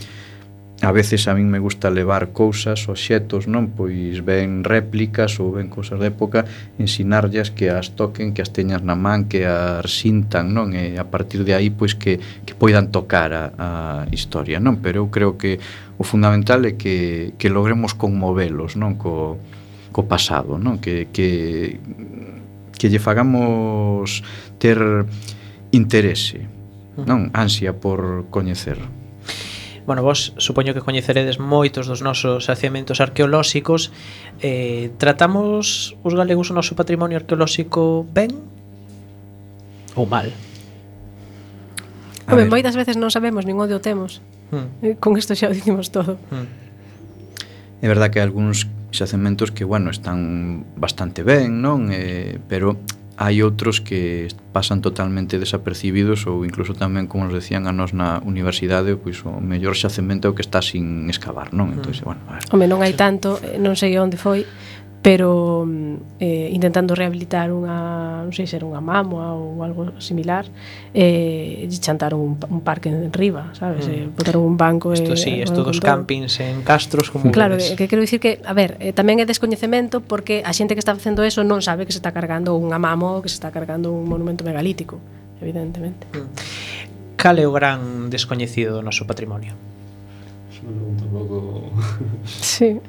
a veces a min me gusta levar cousas, obxetos, non? Pois ven réplicas ou ven cousas de época, ensinarllas que as toquen, que as teñas na man, que as sintan, non? E a partir de aí, pois que poidan tocar a historia, non? Pero eu creo que o fundamental é que logremos conmovelos, non? Co pasado, non? Que lle fagamos ter interese, non? Ansia por coñecer. Bueno, vos supoño que coñeceredes moitos dos nosos xacementos arqueolóxicos. Tratamos os galegos o noso patrimonio arqueolóxico ben ou mal? Home, moitas veces non sabemos nin onde o temos. Con isto xa o dicimos todo. É verdad que hai algúns xacementos que, bueno, están bastante ben, non? Pero hai outros que pasan totalmente desapercibidos, ou incluso tamén, como nos decían a nós na universidade, pois o mellor xacemento é o que está sin excavar, non? Entón, bueno, a ver. Home, non hai tanto, non sei onde foi, pero intentando rehabilitar unha, non sei se era unha mámoa ou algo similar, chantaron un parque en riba, sabes? Botaron un banco. Isto sí, isto dos campings en castros como claro, que quero dicir que, a ver, tamén é descoñecemento, porque a xente que está facendo eso non sabe que se está cargando unha mámoa ou que se está cargando un monumento megalítico, evidentemente. Cal é o gran descoñecido do noso patrimonio? Un pouco... Sí.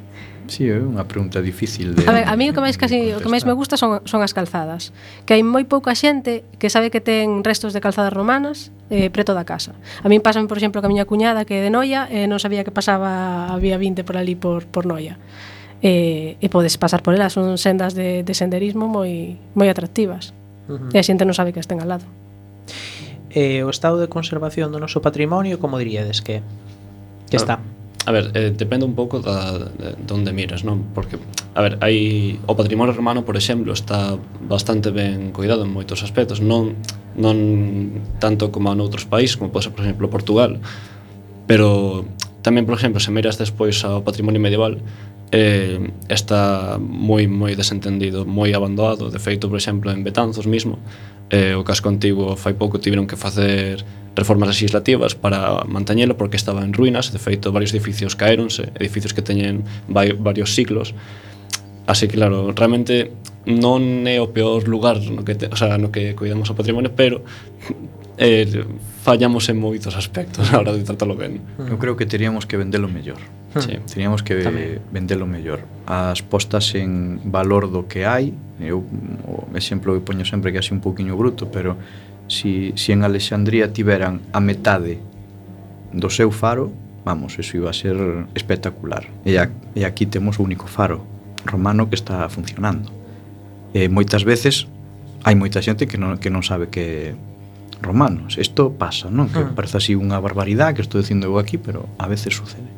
Sí, é unha pregunta difícil de... A ver, a mí o que máis me gusta son as calzadas. Que hai moi pouca xente que sabe que ten restos de calzadas romanas preto da casa. A min pásame, por exemplo, que a miña cuñada que é de Noia non sabía que pasaba a Vía 20 por ali por Noia. E podes pasar por elas, son sendas de senderismo moi atractivas. E a xente non sabe que estén al lado. O estado de conservación do noso patrimonio, como diríades que está? A ver, depende un pouco de onde miras, non? Porque, a ver, o patrimonio romano, por exemplo, está bastante ben cuidado en moitos aspectos, non tanto como noutros países, como pode ser, por exemplo, Portugal, pero tamén, por exemplo, se miras despois ao patrimonio medieval, está moi desentendido, moi abandonado. De feito, por exemplo, en Betanzos mismo, o casco antigo fai pouco tiveron que facer reformas legislativas para manteñelo porque estaba en ruínas. De feito, varios edificios caéronse, edificios que teñen varios siglos. Así que, claro, realmente non é o peor lugar no que cuidamos o patrimonio, pero fallamos en moitos aspectos a hora de tratarlo ben. Eu creo que teríamos que vendelo mellor. Sí. Teríamos que vendelo mellor. As postas en valor do que hai, eu o exemplo que poño sempre que é así un pouquiño bruto, pero si en Alexandría tiveran a metade do seu faro, vamos, eso iba a ser espectacular. E aquí temos o único faro romano que está funcionando. Moitas veces hai moita xente que non sabe que romanos. Isto pasa, non? Que parece así unha barbaridade que estou dicindo eu aquí, pero a veces sucede.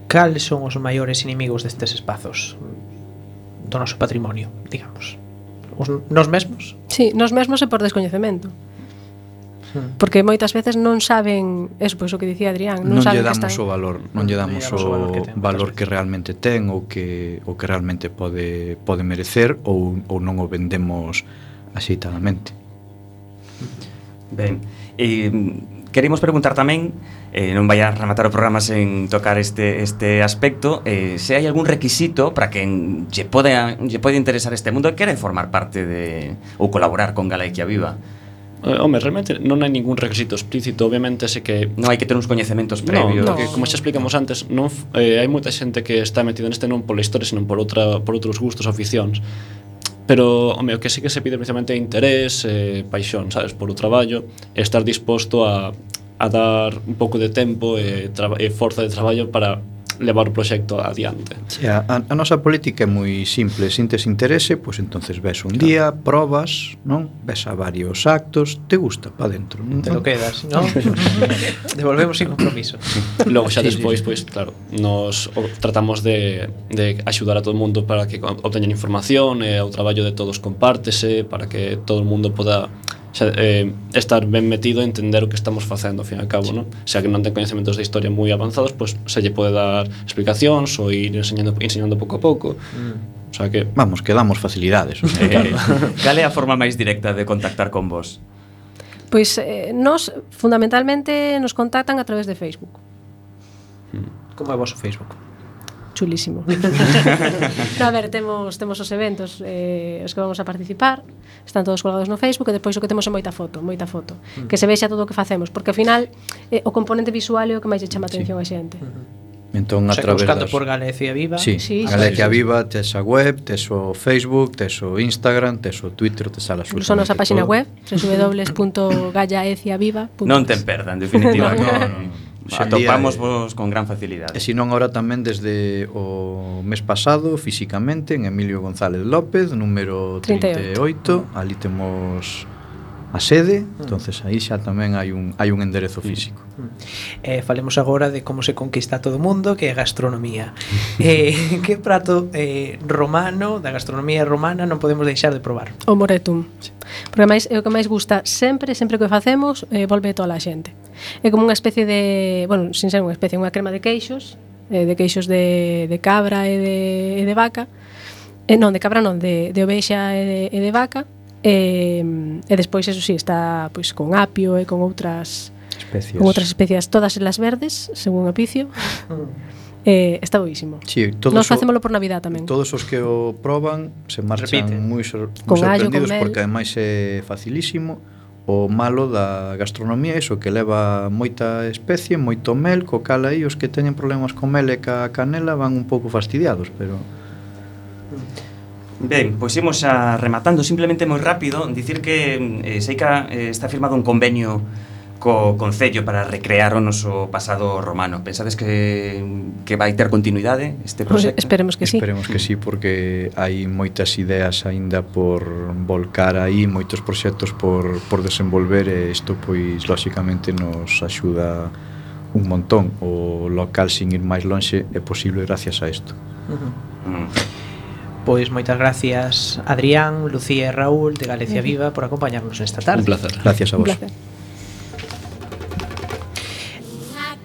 Cales son os maiores inimigos destes espazos do noso patrimonio, digamos? Nos mesmos? Sí, nos mesmos e por descoñecemento. Porque moitas veces non saben eso, pois o que dicía Adrián, non saben que están... o valor, non lle damos o valor que realmente ten ou que realmente pode merecer ou non o vendemos axeitadamente. Ben, queremos preguntar tamén, non vai a rematar o programa sen tocar este aspecto, se hai algún requisito para quen lle pode interesar este mundo e quere formar parte ou colaborar con Galicia Viva. Home, realmente non hai ningún requisito explícito. Obviamente sei que non hai que ter uns coñecementos previos. No, que, como xa explicamos antes, non hai moita xente que está metida neste non pola historia, senón por outros gustos, aficións. Pero, home, o que sí que se pide precisamente é interés, paixón, sabes, por o traballo, e estar disposto a dar un pouco de tempo e forza de traballo para levar o proxecto adiante. Sí, a nosa política é moi simple. Se tes interese, pois entonces ves un día, probas, non? Ves a varios actos, te gusta, pa dentro, non? Te lo quedas, non? Devolvemos sin compromiso. Logo xa despois, pois, claro, nos tratamos de axudar a todo o mundo para que obteñan información, e o traballo de todos compártese, para que todo o mundo poda estar ben metido e entender o que estamos facendo ao fin e ao cabo, non? Xa que non ten coñecementos de historia moi avanzados, pois se lle pode dar explicacións ou ir enseñando pouco a pouco. O sea que vamos, que damos facilidades. Cal é a forma máis directa de contactar con vos? Pois nos fundamentalmente nos contactan a través de Facebook. Como é o vosso Facebook? Chulísimo. No, a ver, temos os eventos os que vamos a participar, están todos colgados no Facebook, e despois o que temos é moita foto, que se vexa todo o que facemos, porque ao final o componente visual é o que máis lle chama a atención a xente. Entón, a través buscando por Galicia Viva. Sí, Galicia Viva, tes a web, tes o Facebook, tes o Instagram, tes o Twitter, tes a absolutamente todo. Son nosa página web, www.gallaeciaviva.com. Non ten perda, en definitiva. No. Atopamos vos con gran facilidade. E se non, agora tamén desde o mes pasado, físicamente, en Emilio González López, número 38, ali temos a sede, entonces aí xa tamén hai un enderezo físico. Falemos agora de como se conquista todo o mundo, que é a gastronomía. Que prato romano, da gastronomía romana, non podemos deixar de probar? O moretum. Porque máis é o que máis gusta sempre que o facemos, volve toda a xente. É como unha especie de, bueno, sin ser unha especie, unha crema de queixos, de cabra e de vaca. Non, de cabra non, de ovexa e de vaca. E despois, eso sí, está pois con apio e con outras especias, todas elas verdes, según o picio. Está boísimo. Sí, nos facémolo por Navidad tamén. Todos os que o proban se marchan moi sorprendidos, porque ademais é facilísimo. O malo da gastronomía é iso, que leva moita especie, moito mel, co cal aí os que teñen problemas con mel e ca canela van un pouco fastidiados, pero... Ben, pois imos a rematando simplemente moi rápido, dicir que Seica está firmado un convenio co Concello para recrear o noso pasado romano. Pensades que vai ter continuidade este proxecto? Esperemos que sí. Esperemos que sí, porque hai moitas ideas aínda por volcar aí, moitos proxectos por desenvolver, e isto pois lóxicamente nos axuda un montón. O local, sin ir máis lonxe, é posible gracias a isto. Pois moitas gracias Adrián, Lucía e Raúl de Galicia Viva por acompañarnos esta tarde. Un placer. Gracias a vos. Un placer.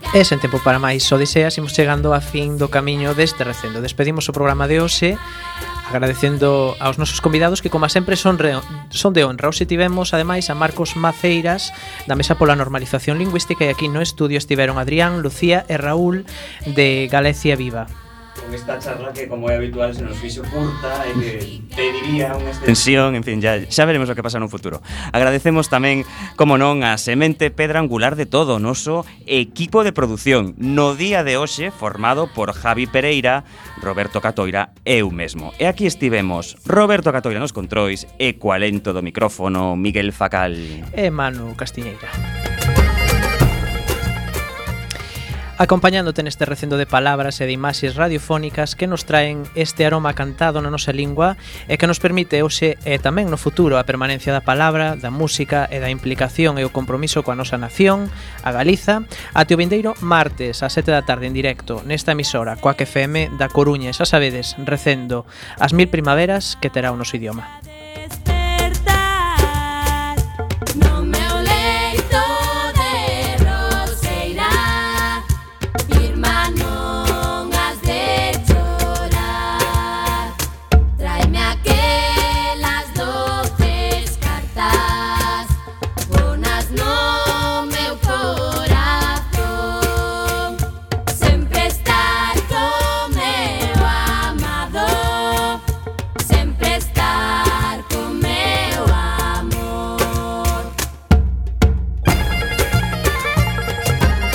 E sen tempo para máis, só deseas, imos chegando a fin do camiño deste recendo. Despedimos o programa de hoxe agradecendo aos nosos convidados que, como sempre, son de honra. Hoxe tivemos, ademais, a Marcos Maceiras da Mesa pola Normalización Lingüística, e aquí no estudio estiveron Adrián, Lucía e Raúl de Galicia Viva. Con esta charla que, como é habitual, se nos fixo curta e que pediría unha extensión, en fin, xa veremos o que pasa no futuro. Agradecemos tamén, como non, a semente pedra angular de todo o noso equipo de produción no día de hoxe, formado por Javi Pereira, Roberto Catoira e eu mesmo. E aquí estivemos Roberto Catoira nos controis e coa lento do micrófono Miguel Facal e Manu Castiñeira. Acompañándote neste recendo de palabras e de imaxes radiofónicas que nos traen este aroma cantado na nosa lingua e que nos permite hoxe e tamén no futuro a permanencia da palabra, da música e da implicación e o compromiso coa nosa nación, a Galiza, ate o vindeiro martes a 7 da tarde en directo nesta emisora Coac FM da Coruña, xa sabedes, recendo as 1000 primaveras que terá o noso idioma.